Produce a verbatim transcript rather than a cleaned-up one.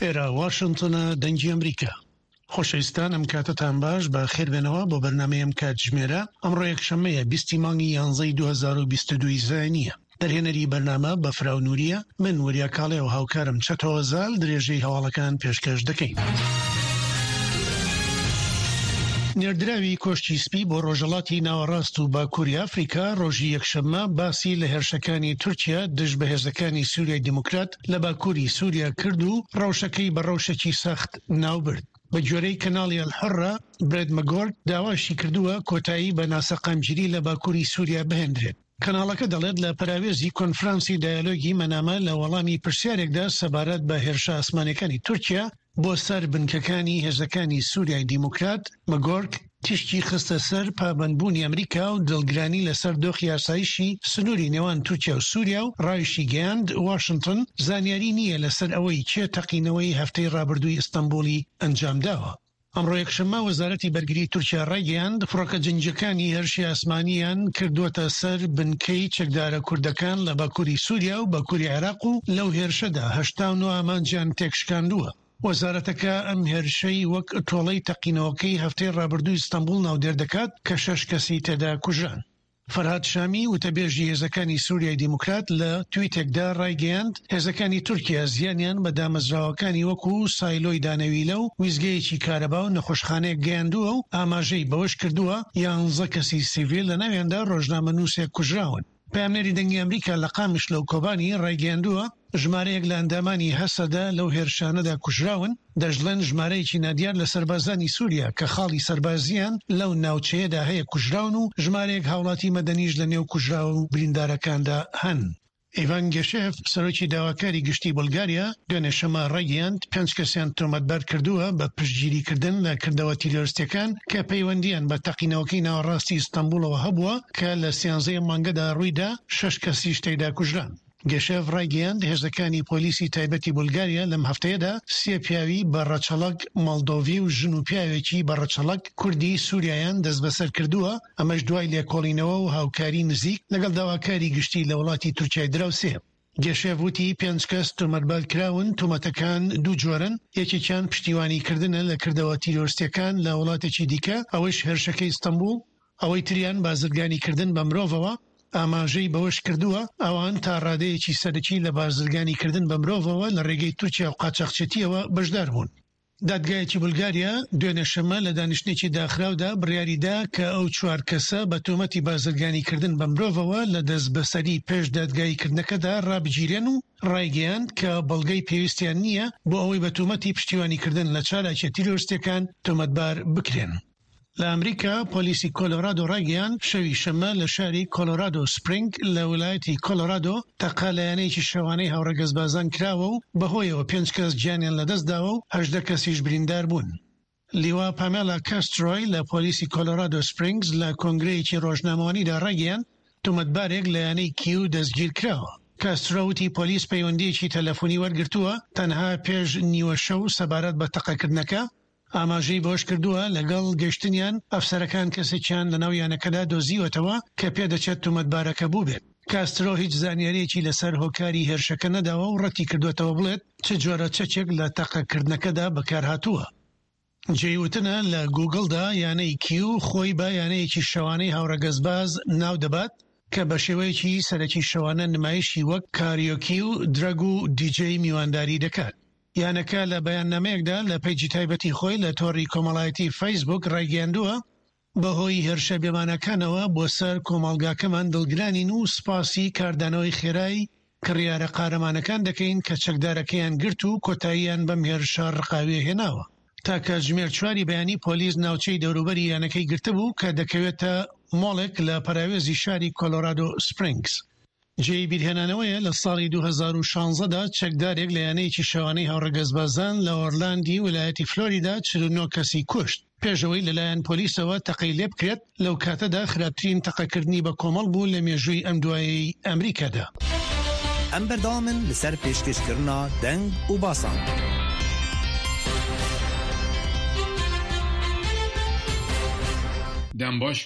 ئێرە واشنتنە، دەنگی ئەمریکا. خۆشەویستان ئەم کاتەتان باش، بە خێربێنەوە بۆ بەرنامەی ئەم کاتژمێرە. ئەمڕۆ یەکشەممەیە بیستی مانگی یانزەی دوو هەزار و بیست و دوو زایینیە. دەرهێنەری بەرنامە بەفراو نوریە، من وریا کاڵێ و هاوکارم چەتۆ زال درێژەی هەواڵەکان پێشکەش دەکەین. نێردراوی کۆشکی سپی بۆ ڕۆژهەڵاتی ناوەڕاست و باکووری ئەفریکا ڕۆژی یەکشەممە باسی لە هێرشەکانی تورکیا دژ بە هێزەکانی سووریای دیموکرات لە باکووری سووریا کرد و ڕەوشەکەی بە ڕەوشێکی سەخت ناوبرد. بە گوێرەی کەناڵی ئەلحوڕە، برێت مەگۆرک داواشی کردووە کۆتایی بە ناسەقامگیری لە باکووری سووریا بهێندرێت. کەناڵەکە دەڵێت لە پەراوێزی کۆنفرانسی دایالۆگی مەنامە لە وەڵامی پرسیارێکدا سەبارەت بە هێرشە ئاسمانیەکانی تورکیا بۆ سەر بنکەکانی هێزەکانی سووریای دیموکرات، مەگۆرک تیشکی خستە سەر پابەندبوونی ئەمریکا و دڵگرانی لەسەر دۆخی ئاسایشی سنووری نێوان تورکیا و سووریا و ڕایشیگەیاند واشنتن زانیاری نییە لەسەر ئەوەی کێ تەقینەوەی هەفتەی ڕابردووی ئیستەنبوڵی ئەنجامداوە. ئەمڕۆ یەکشەممە وەزارەتی بەرگری تورکیا ڕایگەیاند فڕۆکە جەنگییەکانی هێرشی ئاسمانییان کردووەتە سەر بنکەی چەکدارە کوردەکان لە باکووری سووریا و باکووری عێراق و لەو هێرشەدا هەشتا و نۆ ئامانجیان تێکشکاندووە. وەزارەتەکە ئەم هێرشەی وەک تۆڵەی تەقینەوەکەی هەفتەی ڕابردووی ئیستەنبوڵ ناودێر دەکات کە شەش کەسی تێدا کوژران. فەرهاد شامی، وتەبێژی هێزەکانی سوریای دیموکرات لە تویتێکدا ڕایگەیاند، هێزەکانی تورکیا زیانیان بە دامەزراوەکانی وەکو سایلۆی دانەویلە و ویستگەیەکی کارەبا و نەخۆشخانەیەک گەیاندووە و ئاماژەی بەوەشکردووە، یانزە کەسی سیڤیل لەناویاندا ڕۆژنامەنووسێک کوژراون. پەیامنێری دەنگی ئەمریکا لە قامیشلۆ و کۆبانی ڕایگەیاندووە، ژمارەیەک لە ئەندامانی هەسەدە لەو هێرشانەدا کوژراون، دەشڵێن ژمارەیەکی نادیار لە سەربازانی سوریا کە خاڵی سەربازییان لەو ناوچەیەدا هەیە کوژراون و ژمارەیەک هاوڵاتی مەدەنیش لە نێو کوژراو و بریندارەکاندا هەن. ئیڤان گێشێڤ، سەرۆکی داواکاری گشتی بولگاریا، دوێنێ شەممە ڕایگەیاند، پێنج کەسیان تۆمەتبار کردووە بە پشتگیریکردن لە کردەوە تیرۆریستییەکان کە پەیوەندییان بە تەقینەوەکەی ناوەڕاستی ئیستەنبوڵەوە هەبووە کە لە سیانزەی ئەم مانگەدا ڕوویدا، شەش کەسیش تێیدا کوژران. گێشێڤ ڕایگەیاند، هێزەکانی پۆلیسی تایبەتی بولگاریا لەم هەفتەیەدا سێ پیاوی بە ڕەچەڵەک مۆڵدۆڤی و ژن و پیاوێکی بە ڕەچەڵەک کوردی سوریایان دەستبەسەر کردووە، ئەمەش دوای لێکۆڵینەوە و هاوکاری نزیک لەگەڵ داواکاری گشتی لە وڵاتی تورکیای دراوسێ. گێشێڤ وتی، پێنج کەس تۆمەتبار کراون، تۆمەتەکان دوو جۆرن، یەکێکیان پشتیوانی کردنە لە کردەوە تیرۆرستیەکان لە وڵاتێکی دیکە، ئەوەیش هێرشەکەی ئیستەنبوڵ، ئەوەی تریان بازرگانی کردن بە مرۆڤەوە. ئاماژەی بەوەشکردووە، ئەوان تا ڕادەیەکی سەرەکی لە بازرگانی کردن بە مرۆڤەوە لە ڕێگەی تورکیا و قاچاخچێتیەوە بەشدار بوون. دادگایەکی بولگاریا دوێنێ شەممە لە دانیشتنێکی داخراودا بڕیاریدا کە ئەو چوار کەسە بە تۆمەتی بازرگانیکردن بە مرۆڤەوە لە دەستبەسەری پێش دادگاییکردنەکەدا ڕابگیرێن و ڕایگەیاند کە بەڵگەی پێویستیان نییە بۆ ئەوەی بە تۆمەتی پشتیوانیکردن لە چالاکیە تیرۆرستیەکان تۆمەتبار بکرێن. لە ئەمریکا، پۆلیسی کۆلۆرادۆ ڕایگەیاند، شەوی شەممە لە شاری کۆلۆرادۆ سپرینگ لە ویلایەتی کۆلۆرادۆ تەقە لە یانەیەکی شەوانەی هاوڕەگەزبازان کراوە و بەهۆیەوە پێنج کەس گیانیان لەدەستداوە و هەژدە کەسیش بریندار بوون. لیوا پامێلا کاسترۆی لە پۆلیسی کۆلۆرادۆ سپرینگز لە کۆنگرەیەکی ڕۆژنامەوانیدا ڕایگەیاند، تۆمەتبارێک لە یانەی کیو دەستگیرکراوە. کاسترۆ وتی پۆلیس پەیوەندییەکی تەلەفۆنی وەرگرتووە تەنها پێش نیوە شەو سەبارەت بە تەقەکردنەکە. ئاماژەی بەوەشکردووە، لەگەڵ گەشتنیان ئەفسەرەکان کەسێکیان لەناو یانەکەدا دۆزیوەتەوە کە پێدەچێت تۆمەتبارەکە بووبێت. کاسترۆ هیچ زانیارییەکی لەسەر هۆکاری هێرشەکە نەداوە و ڕەتیکردووەتەوە بڵێت چ جۆرە چەکێک لە تەقەکردنەکەدا بەکارهاتووە. جێی وتنە لە گووگڵدا یانەی کیو خۆی بە یانەیەکی شەوانەی هاوڕەگەزباز ناودەبات کە بەشێوەیەکی سەرەکی شەوانە نمایشی وەک کاریۆکی و درەگ و دیجەی میوانداری دەکات. یانەکە لە بەیاننامەیەکدا لە پەیجی تایبەتی خۆی لە تۆڕی کۆمەڵایەتی فەیسبووک ڕایگەیاندووە، بەهۆی هێرشە بێماناکانەوە بۆ سەر کۆمەڵگاکەمان دڵگرانین و سوپاسی کاردانەوەی خێرای کڕیارە قارەمانەکان دەکەین کە چەکدارەکەیان گرت و کۆتاییان بەم هێرشە ڕقاویە هێناوە. تا کاتژمێر چواری بەیانی پۆلیس ناوچەی دەوروبەری یانەکەی گرتبوو کە دەکەوێتە مۆڵێک لە پەراوێزی شاری کۆلۆرادۆ سپرینگز. جێی بیرهێنانەوەیە لە ساڵی دوو هەزار و شازدە دا چەکدارێک لە یانەیەکی شەوانەی هاوڕەگەزبازان لە ئۆرلاندی ویلایەتی فلۆریدا چل و نۆ کەسی کوشت پێش ئەوەی لەلایەن پۆلیسەوە تەقەی لێبکرێت، لەو کاتەدا خراپترین تەقەکردنی بە کۆمەڵ بوو لە مێژووی ئەم دوایەی ئەمریکادا. ئەم بەردەوامن لەسەر پێشکەشکردنا دەنگ و باسان. دەم باش.